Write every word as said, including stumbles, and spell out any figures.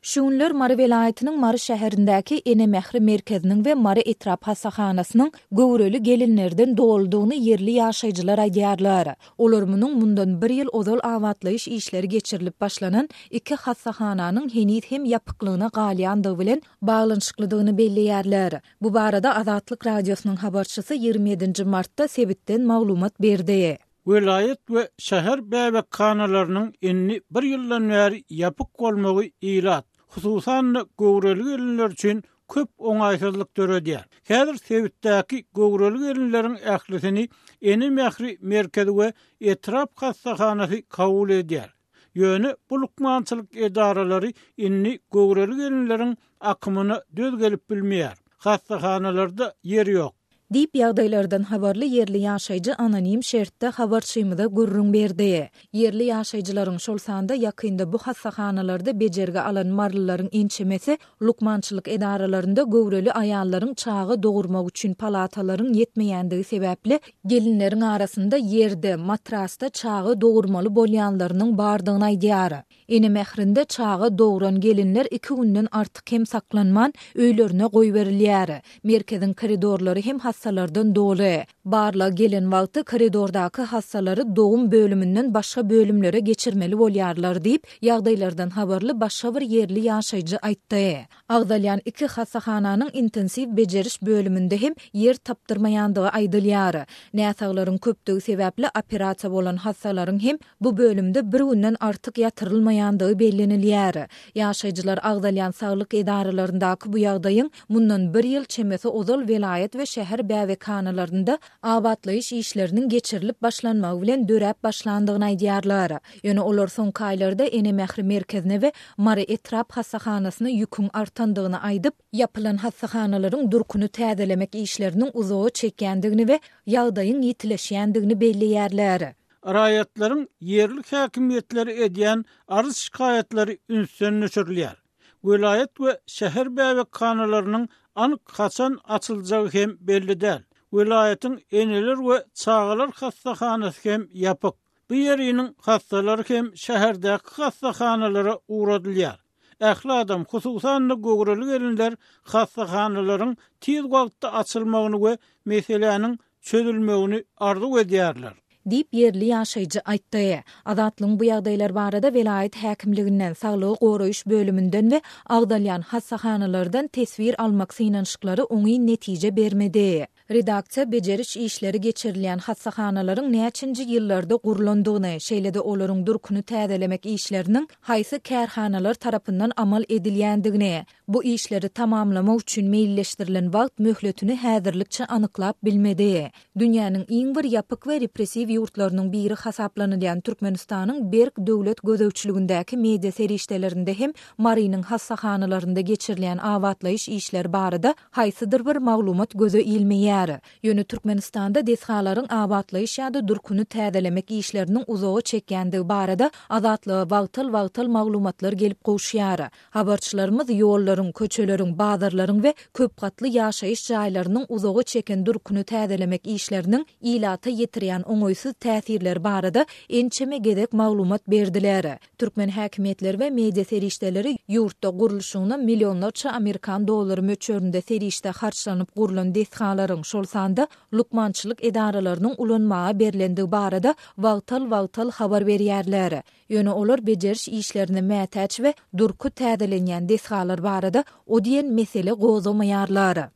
Şu günler Mary welaýatynyň Mary şäherindäki Ene mähri merkeziniň we Mary etrap hassahanasynyň göwreli gelinlerden doludygyny ýerli ýaşaýjylar aýdýarlar. Olar munuň mundan bir ýyl ozal abatlaýyş işleri geçirilip başlanan iki hassahananyň heniz hem ýapyklygyna galýandygy bilen baglanyşyklydygyny belleýärler. Bu barada Azatlyk Radiosynyň habarçysy ýigrimi ýedinji martda sebitden maglumat berdi. Welaýat we şäher bäbekhanalarynyň indi bir ýyldan bäri ýapyk bolmagy ilat, hususan-da göwreli gelinler üçin köp oňaýsyzlyk döredýär. Häzir sebitdäki göwreli gelinleriň ählisini Ene mähri merkezi we etrap hassahanasy kabul edýär. Ýöne bu lukmançylyk edaralary indi göwreli gelinleriň akymyna döz gelip bilmeýär. Hassahanalarda ýer ýok. Diýip, ýagdaýlardan habarly ýerli ýaşaýjy anonim şertde habarçymyza gürrüň berdi. Ýerli ýaşaýjylaryň, şol sanda ýakynda bu hassahanalarda bejergi alan marylylaryň ençemesi lukmançylyk edaralarynda göwreli aýallaryň çaga dogurmak üçin palatalaryň ýetmeýändigi sebäpli gelinleriň arasynda ýerde, matrasda çaga dogurmaly bolýanlarynyň bardygyny aýdýar. Ene mährinde çaga dogran gelinler iki günden artyk hem saklanman, öýlerine goýberilýär. Merkeziň koridorlary hem hassalardan doly. Barlag gelen wagty koridordaky hassalary dogum bölüminden başga bölümlere geçirmeli bolýarlar diýip, ýagdaýlardan habarly başga bir ýerli ýaşaýjy aýtdy. Agzalýan iki hassahananyň intensiw bejeriş bölüminde hem ýer tapdyrmaýandygy aýdylýar. Näsaglaryň köpdügi sebäpli operasiýa bolan hassalaryň hem bu bölümde bir günden artyk ýatyrylmaýandygy bellenilýär. Ýaşaýjylar agzalýan saglyk edaralaryndaky bu ýagdaýyň mundan bir ýyl çemesi ozal welaýat we şäher bäbekhanalarynda abatlaýyş işleriniň geçirilip başlanmagy bilen döräp başlandygyny aýdýarlar. Ýöne olar soňky aýlarda Ene mähri merkezine we Mary etrap hassahanasyna ýüküň artandygyny aýdyp, ýapylan hassahanalaryň durkuny täzelemek işleriniň uzaga çekýändigini we ýagdaýyň ýitileşýändigini belleýärler. Raýatlaryň ýerli häkimiýetleri edýän arz-şikaýatlary ünsden düşürilýär. Welaýat we şäher bäbekhanalarynyň anyk haçan açyljagy hem belli däl. Welaýatyň eneler we çagalar hassahanasy hem ýapyk. Bu ýeriniň hassalary hem şäherdäki hassahanalara ugradylýar. Ähli adam, hususan-da göwreli gelinler hassahanalaryň tiz wagtda açylmagyny we meseläniň çözülmegini arzuw edýärler. Diýip, ýerli ýaşaýjy aýtdy. Azatlygyň bu ýagdaýlar barada welaýat häkimliginden, saglygy goraýyş bölüminden we agzalýan hassahanalardan teswir almak synanyşyklary oňyn netije bermedi. Redaksiýa bejeriş işleri geçirilýän hassahanalaryň näçinji ýyllarda gurlandygyny, şeýle-de olaryň durkuny täzelemek işleriniň haýsy kärhanalar tarapyndan amal edilýändigini, bu işleri tamamlamak üçin meýilleşdirilen wagt möhletini häzirlikçe anyklap bilmedi. Dünýäniň iň bir ýapyk we repressiw ýurtlarynyň biri hasaplanylýan Türkmenistanyň berk döwlet gözegçiligindäki media serişdelerinde hem Marynyň hassahanalarynda geçirilýän abatlaýyş işleri barada haýsydyr bir maglumat göze ilmeýär. Ýöne Türkmenistanda desgalaryň abatlaýyş ýa-da durkuny täzelemek işleriniň uzaga çekýändigi barada Azatlyga wagtal-wagtal maglumatlar gelip gowuşýar. Habarçylarymyz ýollaryň, köçeleriň, bazarlaryň we köpgatly ýaşaýyş jaýlarynyň uzaga çeken durkuny täzelemek işleriniň ilata ýetirýän oňaýsyz täsirleri barada ençeme gezek maglumat berdiler. Türkmen häkimiýetleri we media serişdeleri ýurtda gurluşygyna millionlarça amerikan dollary möçberinde serişde harçlanyp gurlan desgalaryň, şol sanda lukmançylyk edaralarynyň ulanmaga berlendigi barada wagtal-wagtal habar berýärler. Ýöne olar bejeriş işlerine mätäç we durky täzelenýän desgalar barada o diýen mesele gozgamaýarlar.